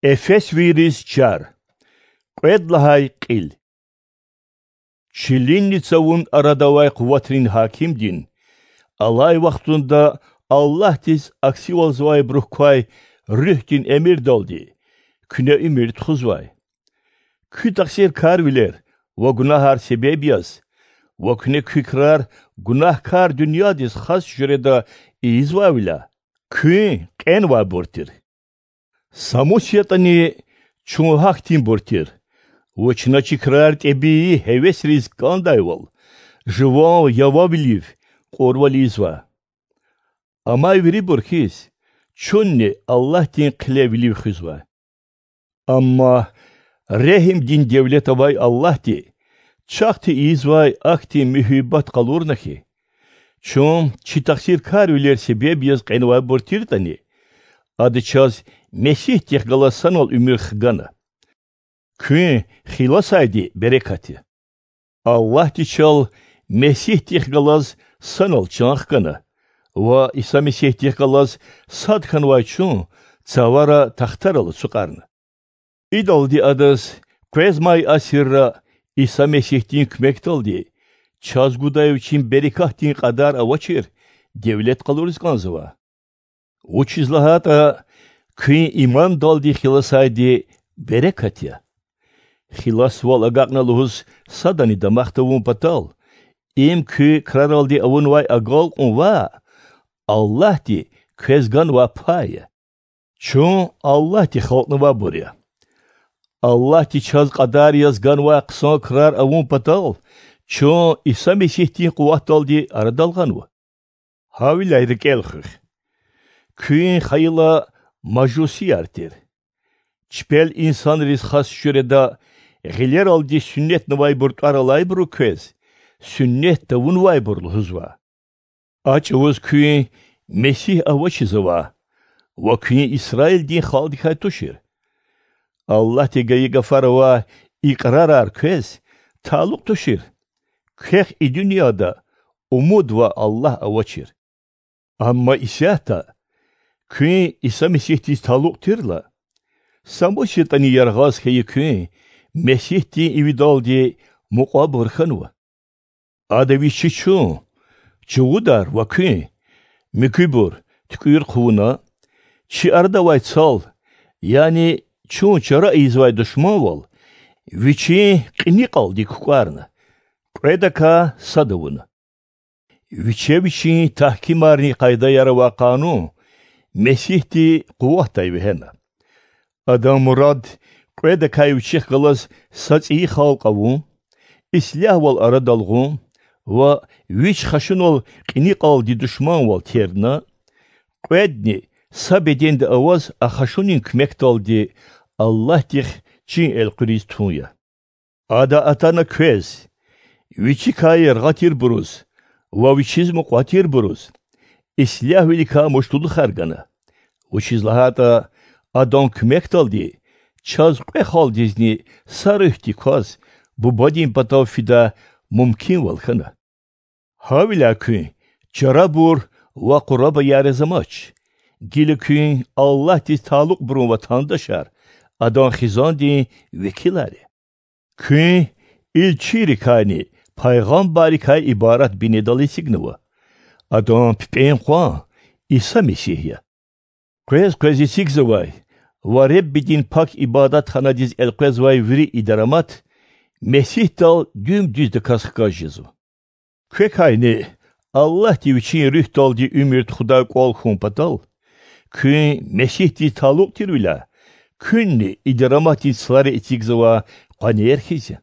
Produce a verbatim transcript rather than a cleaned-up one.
Эфесвийриз чар. Кьвед лагьай кьил. Чилинни цавун арада авай къуватрин гьакимдин, алай вахтунда Аллагьдиз аксивалзавайбурук квай Руьгьдин эмирдалди, куьне уьмуьр тухузвай. Куь тахсиркарвилер ва гунагьар себеб яз, ва куьне куь крар гунагькар дуьньядиз хас жуьреда ийизвайвиляй, куьн кьенвайбур тир. Са мус ятӀани, чун гьахьтинбур тир, ва чна чи крар тӀебии гьевесриз кӀандайвал, жуван явавилив кьурвал ийизва. Амай вирибур хьиз, чунни Аллагьдин хъилевилив хуьзва. Амма регьимдин девлет авай Аллагьди чахъти ийизвай ахьтин муьгьуьббат къалурна хьи, чун чи тахсиркарвилер себеб яз кьенвайбур тиртӀани, Ада чаз Месигьдихъ галаз санал уьмуьр хгана. Куьн хиласайди берекат я. Аллагьди чал Месигьдихъ галаз санал чан хгана ва Иса Месигьдихъ галаз сад хьанвай чун цавара тахтарал ацукьарна. Идалди Адаз къвезмай асирра Иса Месигьдин куьмекдалди чаз гудай Вичин берекатдин кьадар авачир девлет къалуриз кӀанзава. Вучиз лагьайтӀа куьн имандалди хиласайди берекат я. Хиласвал агакьна лугьуз садани дамах тавун патал, им куь краралди авунвай агалкьун ваъ, Аллагьди квез ганвай пай я. Чун Аллагьди халкьнавайбур я. Аллагьди чаз кьадар яз ганвай хъсан крар авун патал, чун Иса Месигьдин къуватдалди арадал гъанва. Гьавиляй рикӀел хуьх. Куьн хайила мажусияр тир. Чпел инсанриз хас жуьреда гъилералди суннетнавайбур тӀвар алайбуру квез суннет тавунвайбур лугьузва. А чӀавуз куьн Месигь авачиз ава ва куьн Исраилдин халкьдикай тушир. Аллагьди гайи гафар авай икьрарар квез талукь тушир. Квехъ и дуьньяда умуд ва Аллагь авачир. Амма исятда куьн Иса Месигьдиз талукь тирла, са мус ятӀани яргъаз хьайи куьн Месигьдин ивидалди мукьвабур хьанва. Ада вичи чун, чувудар ва куьн, муькуьбур, туькӀуьр хъувуна, чи арада авай цал, яни чун чара ийизвай душманвал, вичин кьиникьалди кукӀварна, кьведакай сад авуна. Виче вичин тагькимарни къайдаяр авай къанун Месигьди къуватдай вегьена. Адан мурад кьведакай вичихъ галаз са цӀийи халкь авун, ислягьвал арадал гъун ва вич хашунал кьиникьалди душманвал тердна, кьведни са беденда аваз а хашунин куьмекдалди Аллагьдихъ чин элкъуьриз тун я. Ада атана квез, вичикай яргъа тирбуруз ва вичиз мукьва тирбуруз, ислягьвиликай муштулухар гана, вучиз лагьайтӀа Адан куьмекдалди чаз кьве халкьдизни са руьгьдик кваз Бубадин патав фидай мумкинвал хьана. Гьавиляй куьн чарабур ва къурабаяр яз амач, гила куьн Аллагьдиз талукьбурун ватандашар, Адан хизандин векилар я. Куьн илчийрикайни пайгъамбаррикай ибарат бинедал эцигнава. Адан пипӀен къван Иса Месигь я. Къвез-къвез эцигзавай ва Реббидин пак ибадатханадиз элкъвезвай вири и дарамат Месигьдал дуьм-дуьздаказ хкаж жезва. Квекайни Аллагьди Вичин Руьгьдалди уьмуьр тухудай кӀвал хьун патал, куьн Месигьдиз талукь тирвиляй, куьнни и дараматдин цлари эцигзавай къванер хьиз я.